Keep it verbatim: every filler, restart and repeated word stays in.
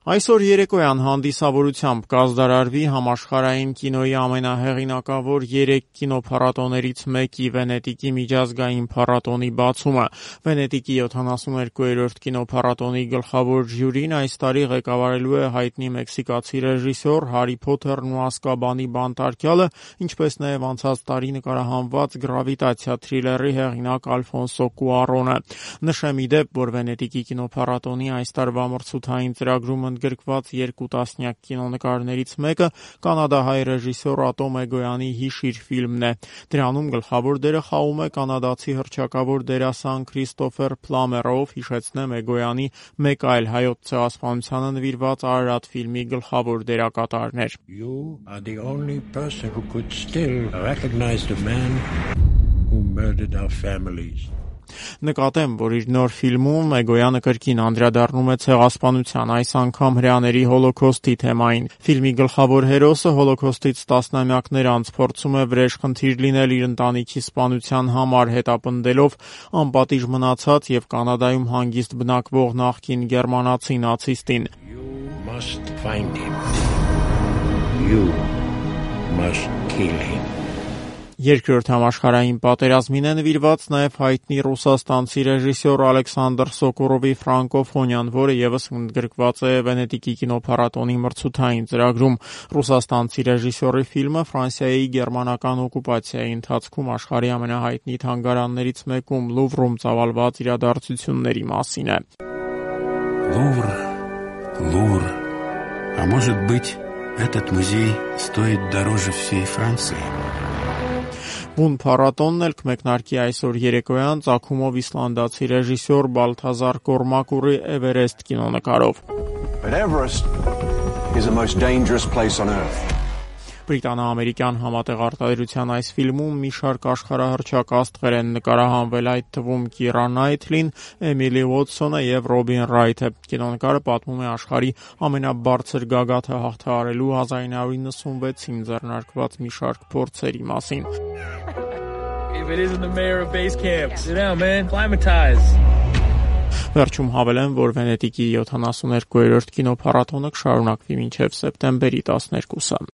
Այսօր երեկոյան հանդիսավորությամբ կազդարարվի համաշխարհային կինոյի ամենահեղինակավոր երեք կինոփառատոներից մեկի Վենետիկի միջազգային փառատոնի բացումը։ Վենետիկի յոթանասուներկուերորդ կինոփառատոնի գլխավոր ժյուրին այս տարի ղեկավարելու է հայտնի մեքսիկացի ռեժիսոր Հարի Փոթերն ու Ազկաբանի բանտարկյալը, ինչպես նաև անցած տարի նկարահանված Գրավիտացիա թրիլերի հեղինակ Ալֆոնսո Կուարոնը։ Նշեմ ի դեպ, որ Վենետիկի կինոփառատոնի այս տարվա մրցութային ծրագրում գրկված երկու տասնյակ կինոնկարներից մեկը կանադահայ ռեժիսոր Ատոմ Էգոյանի «Հիշիր» ֆիլմն է։ Դրանում գլխավոր դերը խաղում է կանադացի հռչակավոր դերասան Քրիստոֆեր Փլամերը, ով, հիշեցնեմ, Էգոյանի մեկ այլ հայոց ցեղասպանությանը նվիրված Արարատ ֆիլմի գլխավոր դերակատարն էր։ You are the only person who could still recognize the man who murdered our families. Նկատեմ, որ իր նոր ֆիլմում Էգոյանը կրկին անդրադառնում է ցեղասպանության, այս անգամ հրեաների հոլոքոստի թեմային։ Ֆիլմի գլխավոր հերոսը հոլոքոստից տասնամյակներ անց փորձում է վրեժխնդիր լինել իր ընտանիքի սպանության համար, հետապնդելով անպատիժ մնացած եւ Կանադայում հանգիստ բնակվող նախկին գերմանացի նացիստին։ You must find him. You must kill him. Երկրորդ համաշխարհային պատերազմին է նվիրված նաև հայտնի ռուսաստանցի ռեժիսոր Ալեքսանդր Սոկորովի ֆրանկոֆոնիան, որը ևս ընդգրկված է Վենետիկի կինոփառատոնի մրցութային ծրագրում։ Ռուսաստանցի ռեժիսորի ֆիլմը Ֆրանսիայի գերմանական օկուպացիայի ընթացքում աշխարհի ամենահայտնի թանգարաններից մեկում Լուվրում ծավալված իրադարձությունների մասին է։ Лувр, Лувр. А может быть, этот музей стоит дороже всей Франции? Բուն փառատոնն էլ կմեկնարկի այսօր երեկոյան ծագումով իսլանդացի ռեժիսոր Բալթազար Կորմակուրի Էվերեստ կինոնկարով։ But Everest is the most dangerous place on earth. Բրիտանա-ամերիկյան համատեղ արտադրության այս ֆիլմում մի շարք աշխարհահռչակ աստղեր են նկարահանվել, այդ թվում Կիրա Նայթլին, Էմիլի Ուոթսոնը եւ Ռոբին Ռայթը։ Կինոնկարը պատմում է աշխարհի ամենաբարձր գագաթը հաղթահարելու հազար ինը հարյուր նվաթ ձեռնարկված մի շարք փորձերի մասին։ If it isn't the mayor of base camp, sit down, man. Climatize. Վերջում հավելեմ, որ Վենետիկի յոթանասուներկուերորդ կինոփառատոնը կշարունակվի մինչև սեպտեմբերի տասներկուսը։